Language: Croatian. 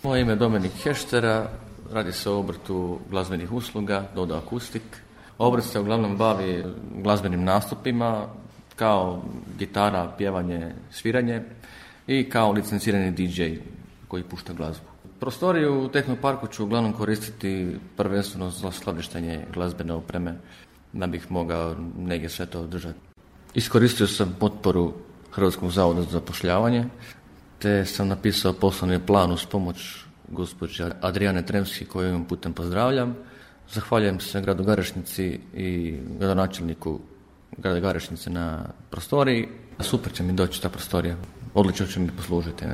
Moje ime je Dominik Heštera, radi se o obrtu glazbenih usluga, Dodo Akustik. Obrt se uglavnom bavi glazbenim nastupima, kao gitara, pjevanje, sviranje i kao licencirani DJ koji pušta glazbu. Prostoriju u Tehnoparku ću uglavnom koristiti prvenstveno za skladištenje glazbene opreme, da bih mogao negdje sve to održati. Iskoristio sam potporu Hrvatskog zavoda za zapošljavanje, te sam napisao poslovni plan uz pomoć gospođe Adrijane Tremski, koju ovim putem pozdravljam. Zahvaljujem se gradu Garešnici i gradonačelniku grada Garešnice na prostoriji. Super će mi doći ta prostorija, odlično će mi poslužiti.